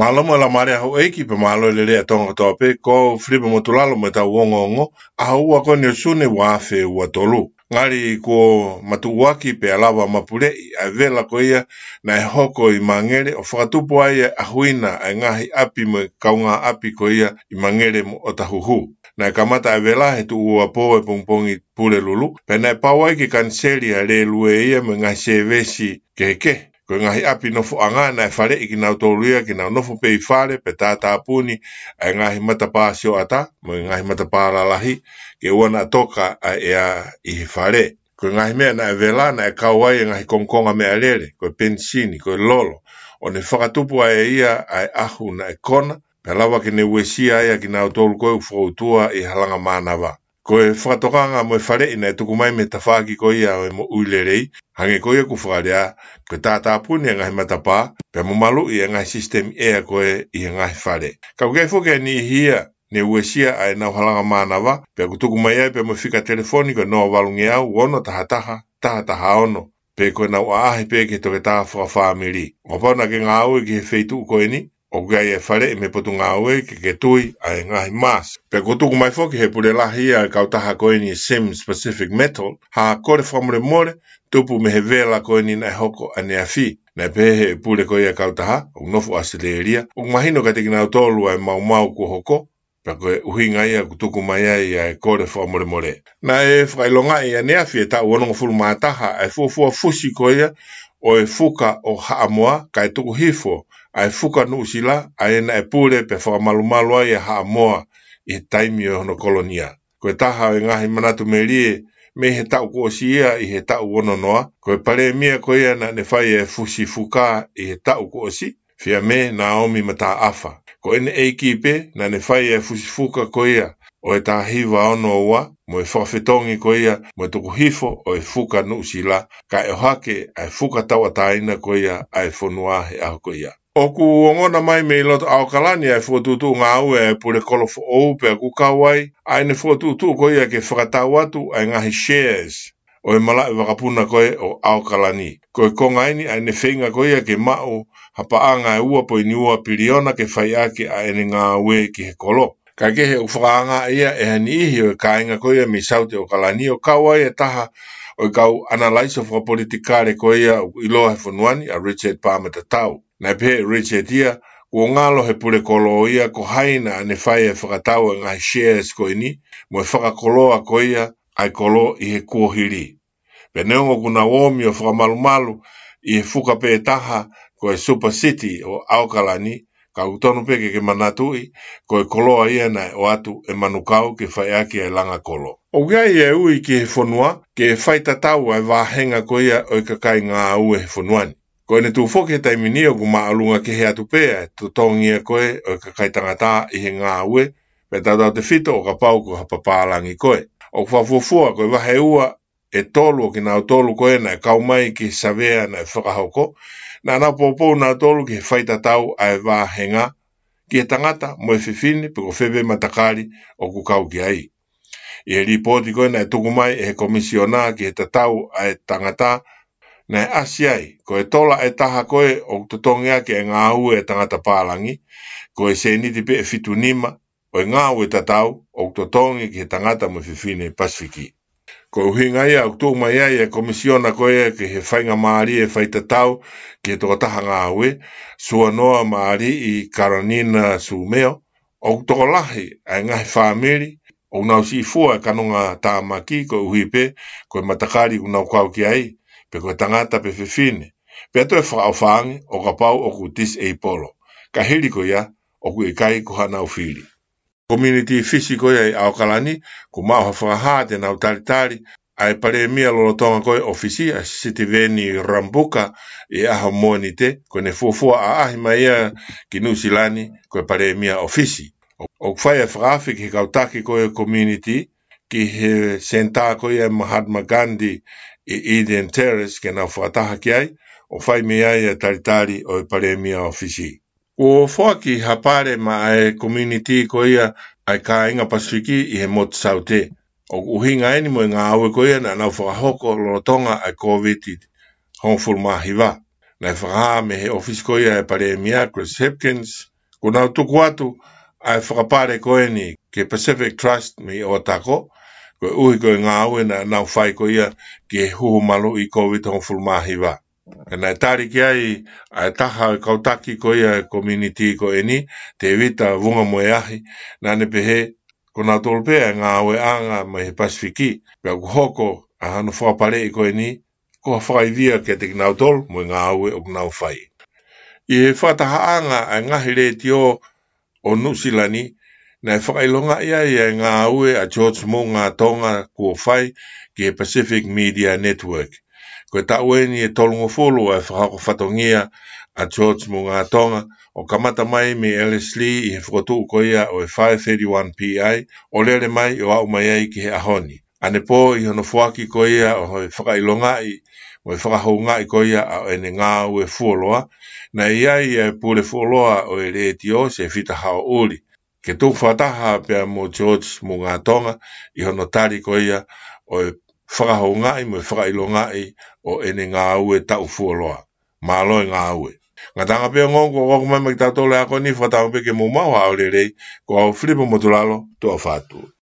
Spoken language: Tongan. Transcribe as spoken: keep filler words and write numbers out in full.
Mālō mo e laumālie ʻa houʻeiki pea mālō e lelei ʻa Tonga kotoa pē, ko Filipe Motulalo mo ʻetau ongoongo, ʻaho ua ko eni ʻo Sune ua afe ua tolu. Ngali kuo matuʻuaki pea lava mapuleʻi ʻa e vela ko ia naʻe hoko ʻi Mangere ʻo fakatupu ai e ʻahuina ʻa e ngaahi ʻapi mo e kaungāʻapi ko ia ʻi Mangere mo ʻOtahuhu. Naʻe kamata e vela he tuʻuapō e pongipongi Pulelulu, pea naʻe pau ai ke kaniseli ʻa e lēlue ia mo e ngaahi sēvesi kehekehe. Ko e ngaahi ʻapi nofoʻanga naʻe faleʻi kinautolu ia ke nau nofo pē ʻi fale pea tātāpuni ʻa e ngaahi matapā sioʻata mo e ngaahi matapā lalahi ke ʻoua naʻa toka ʻa e ʻea ʻi he fale. Ko e ngaahi meʻa naʻe vela naʻe kau ai e ngaahi kongokonga meʻalele, ko e penisini, ko e lolo, ʻo ne fakatupu ai ʻe ia ʻa e ʻahu naʻe kona, pea lava ke ne uesia ai ʻa kinautolu ko ē ʻoku fokoutua ʻi he halanga mānava. Ko e fakatokanga mo e faleʻi naʻe tuku mai mei he tafaʻaki ko ia ʻo e moʻui lelei, hangē ko ia ʻoku fakalea, ko e tātāpuni e ngaahi matapā, pea mo maluʻi e ngaahi sisitemi ʻea ko ē ʻi he ngaahi fale. Ka ʻoku ʻi ai foki e niʻihi ia ne uesia ʻa ʻenau halanga mānava, pea ʻoku tuku mai ai pea mo e fika telefoni ko e noa valu ngeau, ono taha taha, taha taha ono, pe ko ʻenau ʻaʻahi pē ki he toketā fakafāmili. ʻO kapau naʻa ke ngāue ki he feituʻu ko eni, ʻoku ʻi ai e faleʻi mei he Potungāue ke ke tui ʻa e ngaahi mask. Pea kuo tuku mai foki he pule lahi ʻa e kautaha ko eni Sims Pacific Metal, ha kole fakamolemole, tupu mei he vela ko eni naʻe hoko ʻaneafi. Naʻe pehē he pule ko ia ʻa e kautaha, ʻoku nofo ʻAositelēlia, ʻoku mahino kiate kinautolu ʻa e maumau kuo hoko, pea ko e ʻuhinga ia ʻoku tuku mai ai ʻa e kole fakamolemole. Naʻe fakaʻilongaʻi ʻaneafi he taʻu onongofulu mā taha ʻa e fuofua fusi ko ia ʻo e fuka ʻo Haʻamoa, kae tuku hifo ʻa e fuka Nuʻusila, ʻa ia naʻe pule pea fakamalumalu ai ʻa Haʻamoa ʻi he taimi ʻo hono kolonia. Ko e taha ʻo e ngaahi manatu melie mei he taʻu kuo ʻosi ia ʻi he taʻu ono noa, ko e palēmia ko ia naʻa ne fai e fusi fuka ʻi he taʻu kuo ʻosi, Fiame Naomi Mataʻafa. Ko ʻene ʻeiki pē naʻa ne fai e fusi fuka ko ia ʻo e taha hiva ono ua, mo e fakafetongi ko ia mo e tuku hifo ʻo e fuka Nuʻusila, kae ʻohake ʻa e fuka tauʻatāina ko ia ʻa e fonua he ʻaho ko ia. ʻOku ongona mai mei loto ʻAokalani ʻa e fokotuʻutuʻu ngāue ʻa e pule kolo foʻou, pea ʻoku kau ai ʻa ʻene fokotuʻutuʻu ko ia ke fakatau atu ʻa e ngaahi shares ʻo e malaʻe vakapuna ko ē ʻo ʻAokalani. Ko e konga eni ʻa ʻene feinga ko ia ke maʻu ha paʻanga ʻe ua poini ua piliona ke fai ʻaki ʻa ʻene ngāue ki he kolo. Kae kehe ʻoku fakaangaʻi ia ʻe ha niʻihi ʻo e kāinga ko ia mei Saute ʻAokalani, ʻo kau ai e taha ʻo e kau ʻanalaiso fakapolitikale ko ia ʻoku ʻiloa he fonua ni, ʻa Richard Palmer Tatau. Naʻe pehē ʻe Richard ia, kuo ngalo he pule kolo ia ko hai naʻa ne fai e fakatau e ngaahi shares ko eni, mo e fakakoloa ko ia ʻa e kolo ʻi he kuohili. Pea neongo ʻoku nau omi ʻo fakamalumalu ʻi he fuka pē taha ko e Super City ʻo ʻAokalani, ka ʻoku tonu pē ke ke manatuʻi, ko e koloa ia naʻe ʻoatu ʻe Manukau ke fai ʻaki e langa kolo. ʻOku ʻi ai e ui ki he fonua ke fai tatau ʻa e vāhenga ko ia ʻo e kakai ngāue he fonua ni. Ko ʻene tuʻu foki he taimi ni ʻoku māʻolunga kehe atu pē ʻa e totongi ia ko ē ʻo e kakai tangata ʻi he ngāue, pea tautautefito ʻo kapau ko ha papālangi ko ē. ʻOku fakafuofua ko e vahe ua ʻe tolu ʻo kinautolu ko ē naʻe kau mai ki he savea naʻe fakahoko, naʻa nau poupou nautolu ki he fai tatau ʻa e vāhenga ki he tangata mo e fefine pe ko fē pē matakali ʻoku kau ki ai. ʻI he lipooti ko ē naʻe tuku mai ʻe he komisiona ki he tatau ʻa e tangata, naʻe ʻasi ai, ko e tola ʻe taha ko ē ʻoku totongi ʻaki e ngāue ʻa e tangata pālangi, ko e sēniti pē ʻe fitu nima ʻo e ngāue tatau ʻoku totongi ki he tangata mo e fefine Pasifiki. Ko e ʻuhinga ia ʻoku tuʻu mai ai e komisiona ko ē ki he faingamālie fai tatau ki he tokotaha ngāue, Suanoa Maʻaliʻi Karanina Sumeo, ʻoku tokolahi ʻa e ngaahi fāmili ʻoku nau siʻi fua e kanonga tāmaki koeʻuhi pē ko e matakali ʻoku nau kau ki ai, pe ko e tangata pe fefine, pea toe fakaʻofa ange ʻo kapau ʻoku disable. Ka hili ko ia, ʻoku ʻikai ko haʻanau fili. Community Fisi ko ia ʻi ʻAokalani, kuo maʻu ha fakahā te nau talitali ʻa e palēmia lolotonga ko ē ʻo Fisi, ʻa Sitiveni Rabuka, ʻi he ʻaho Mōnite, ko ʻene fuofua ʻaʻahi mai ia ki Nuʻusila ni ko e palēmia ʻo Fisi. ʻOku fai e fakaafe ki he kau taki ko ē community ki he senitā ko ia ʻa Mahatma Gandhi ʻi Eden Terrace ke nau fakataha ki ai, ʻo fai mei ai e talitali ʻo e palēmia ʻo Fisi. Kuo foaki ha pale maʻa e community ko ia ʻa e kāinga Pasifiki ʻi he motu Saute. ʻOku ʻuhinga eni mo e ngāue ko ia naʻa nau fakahoko lolotonga ʻa e Kōviti hongofulu mā hiva. Naʻe fakahā mei he ʻōfisi ko ia ʻa e Palēmia, Chris Hipkins, kuo nau tuku atu ʻa e fakapale ko eni ki he Pacific Trust mei ʻOtako, koeʻuhi ko e ngāue naʻa nau fai ko ia ki he huhu maluʻi Covid hongofulu mā hiva. Ka naʻe tali ki ai ʻa e taha ʻo e kau taki ko ia ʻo e community ko eni, Tēvita Vungamoeahi, naʻa ne pehē, ko nautolu pē ʻa e ngāueʻanga mei he Pasifiki, pea ʻoku hoko ʻa hono fakapaleʻi ko eni ko ha fakaivia kiate kinautolu mo e ngāue ʻoku nau fai. ʻI he fakatahaʻanga ʻa e ngaahi letiō ʻo Nuʻusila ni, naʻe fakaʻilongaʻi ai ʻa e ngāue ʻa George Moʻungatonga kuo fai ki he Pacific Media Network. Ko e taʻu eni ʻe tolungofulu ʻa e fakahoko fatongia ʻa George Moʻungatonga, ʻo kamata mai mei Ellerslie ʻi he fokotuʻu ko ia ʻo e five thirty-one P I, ʻo lele mai ʻo aʻu mai ai ki he ʻaho ni. Ane pō ʻi hono foaki ko ia ʻo e fakaʻilongaʻi mo e fakahoungaʻi ko ia ʻa ʻene ngāue fuoloa, naʻe ʻi ai ʻa e pule fuoloa ʻo e letiō, Sefita Haoʻuli, ke tuku fakataha pea mo George Moʻungatonga ʻi hono tali ko ia ʻo e fakahoungaʻi mo e fakaʻilongaʻi ʻo ʻene ngāue taʻu fuoloa. Mālō e ngāue. Ngataʻanga pē ongo kuo ʻoku mai mai kitautolu he ako ni, fakatauange pē ke mou maʻu ha ʻaho lelei, ko au Filipo Motulalo, tuʻa ʻofa atu.